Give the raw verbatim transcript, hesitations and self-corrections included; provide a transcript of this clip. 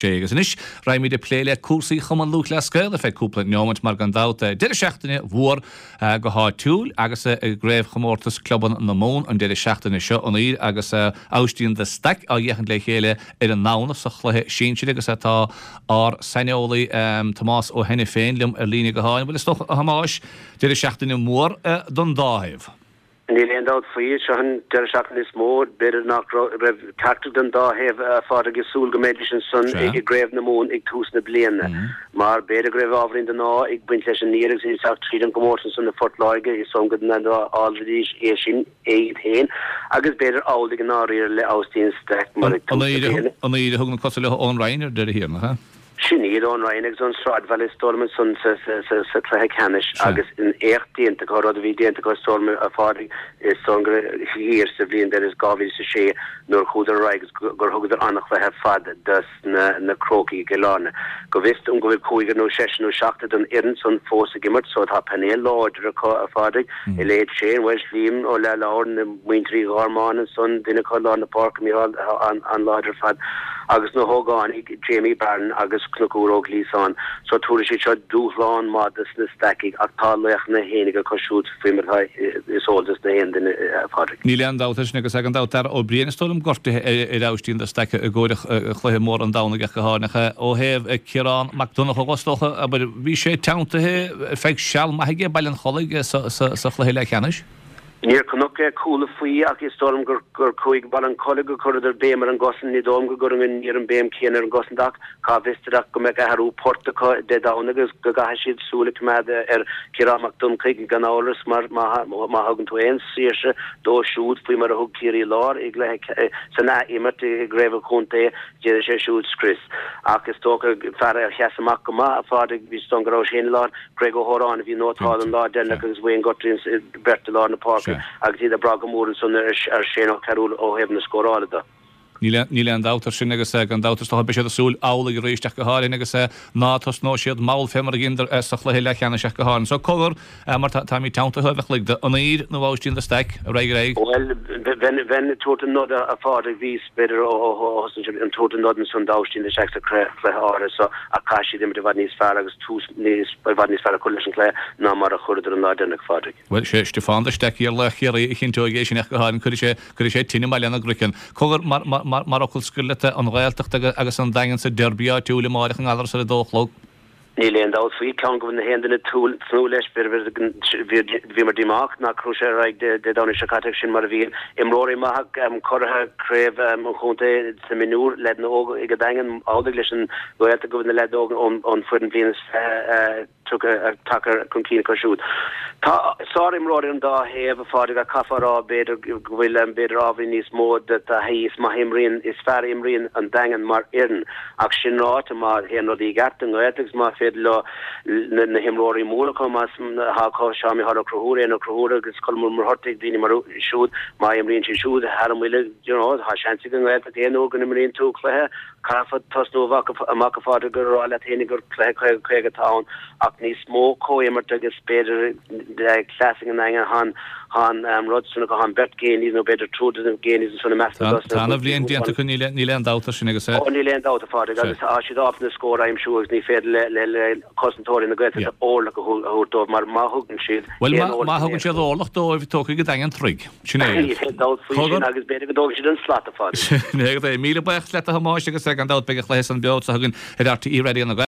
sé. Agus anois raghaimid ag plé le cúrsaí Chumann Lúthchleas Gael ar feadh cúpla neomait mar gan dabht deireadh seachtaine mhór go háitiúil agus i gcraobhchomórtas clubanna na Mumhan an deireadh seachtaine seo an Uidhir agus Aibhistín de Staic á fhéachaint le chéile ar an nDomhnach sa chluiche sinsir agus atá ár saineolaí Tomás Ó hAiniféin liom ar líne gutháin. Bhuel is dócha a Thomáis, deireadh seachtaine mór don dá thaobh. Níl aon dabht faoi, seo an deireadh seachtaine is mó, b'fhéidir nach raibh ceachtar den dá thaobh, a Phádraig, ag súil go mbeidís ansan i gCraobh na Mumhan ag tús na bliana. Mar b'fhéidir go raibh ábhairín den ádh ag baint leis an Uidhir agus iad ag teacht tríd an gcomórtas ansan i Phort Láirge, is dóigh go n-admhóidís é sin iad féin agus b'fhéidir amhlaidh i ndáiríre le Aibhistín Staic mar ag tús na bliana. An Uidhir a thug na cosa leo ón Rinn ar deireadh thiar, nach ea? Sin iad ón Rinn agus ón Sráidbhaile is dóigh liom ansan sa chluiche ceannais agus an éacht déanta acu, rud a bhí déanta acu is dóigh liom a Phádraig, is dóigh liom gur thiar sa bhliain b'fhéidir dhá mhíle is a sé nuair a chuadar ar aghaidh agus gur thugadar an-chluiche ar fad dos na Crócaigh i gCill Airne. Go bhfios dom go bhfuil cúigear nó seisear nó seachtar den fhoireann san fós ag imirt so tá painéal láidir acu a Phádraig, a leithéid Shane Walsh, Liam Ó Leathlobhair, na muintir Uí Ghormáin ansan, duine acu i lár na páirce, Micheál an-láidir ar fad agus na hógánaigh, Jamie Barron agus Conchúr Ó Gliasáin. So tabharfaidh siad seo dúshlán maith dos na Stacaigh ach tá laochanna fhéinig acu siúd faoi mar atá is eol dos na haon duine, a Phádraig. Níl aon dabht air sin agus gan dabht Darragh Ó Briain is dóigh liom gortaithe ar Aibhistín de Staic i gcomhair chluiche mór an Domhnaigh ach go háirithe ó thaobh Ciarán Mac Donncha is dócha, abair, bhí sé teanntaithe ar feadh seal maith aige Baile an Chollaigh sa chluiche leathcheannais. Níor chonac cúl faoi ach is dóigh liom gur gur chuaigh Baile an Chollaigh gur chuireadar béim ar an gcosaint. Ní dóigh liom go gcuireann an Uidhir an béim céanna ar an gcosaint ach cá bhfios duit ach go mbeadh athrú poirt acu Dé Domhnaigh agus go gcaithfidh siad súil a choimeád ar Chiarán Mac Donnchaidh gan amhras mar má má thugann tú aon saoirse dó siúd faoi mar a thug Ciarraí Láir i gcluiche san ath-imirt i gcraobh an chontae d'fhéadfadh sé siúd scrios. Ach is dócha fear a sheas amach go maith a Phádraig is dóigh liom go raibh sé i láthair Greg Ó hÓráin a bhí nótálta an lá deireanach agus Wayne Guthrie beirt i lár na páirce agus iad ag brath go mór ansan ar Shane Ó Cearúil ó thaobh na scórála de. Níl aon dabht air sin agus gan dabht is dócha beidh siad ag súil amhlaidh arís ach go háirithe agus ná tosnóidh siad mall fé mar a dheineadar sa chluiche leathcheannais ach go háirithe. So cogar mar táimid teanntaithe uaimh a chloig de an Uidhir nó Aibhistín de Staic ar aghaidh ar aghaidh. Bhuel, bheinn ag tabhairt an nod a Phádraig, bhíos b'fhéidir ó thosnaigh sé ag tabhairt an nod ansan d'Aibhistín de Staic sa chluiche áirithe so ach caithfidh siad imirt i bhfad níos fearr agus tús níos i bhfad níos fearr a chur leis an chluiche ná mar a chuireadar an lá deireanach, a Phádraig. Bhuel, sé Stiofán de Staic iar-laoch Chiarraí a chinnteoidh é sin ach go háirithe. Cuirfidh sé, cuirfidh sé tine i mBaile na gCroiceann. Cogar, mar, mar, mar, mar fhocal scoir leat, an Ghaeltacht agus, agus an Daingean sa derby áitiúil amáireach i nGallaras ar a dó a chlog. Níl aon dabht faoi, ceann go bhfuil na haon duine ag tnúth leis, bhí, bhíomar díomách nach raibh sé ar aghaidh Dé Domhnaigh seo caite ach sin mar a bhíonn. Imreoirí maithe curaithe craobh an chontae sna mionúir, leaideanna óga ag an Daingean, amhlaidh leis an Ghaeltacht go bhfuil na leaids óga ón foireann bliain is fiche tagtha chun cinn acu siúd. Tá sár-imreoirí ar an dá thaobh, a Phádraig, ach caithfear a rá, b'fhéidir, go bhfuil, b'fhéidir, ábhairín níos mó de thaithí. Is maith a imríonn, is fearr a imríonn an Daingean mar fhoireann. Ach sin ráite, má théann rudaí i gceart don nGaeltacht agus má féidir leo na himreoirí móra acu, más atá acu, Seán Micheál Ó Conchúir, Éanna Ó Conchúir agus Colm Ó Muircheartaigh, daoine mar siúd, má imríonn siad siúd thar a mbuille, you know, tá seans ag an nGaeltacht aon uair go n-imríonn tú cluiche, Caithfear tosnú amach a Phádraig ag rá leat féin gur cluiche caoga caoga atá ann ach níos mó comhimirt agus b'fhéidir cleas ag an nDaingean tá an rud san acu, tá an beirt Geaneys nó b'fhéidir triúr de na Geaneys ansan i measc na Tá ana-bhliain déanta acu, níl aon dabht air sin agus. Ó níl aon dabht a Phádraig agus tá siad ábalta na scóir a aimsiú agus ní féidir le cosantóirí na Gaeltachta orlach a thabhairt dóibh mar má thugann siad Bhuel má thugann siad orlach dóibh tógfaidh an Daingean troigh. Sin é. Níl aon dabht faoi sin agus b'fhéidir go dtógfaidh siad an slat a Phádraig. Sin é. Míle buíochas leat a Thomáis agus gan dabht beidh an chluiche san beo anseo againn ar RTÉ Raidió na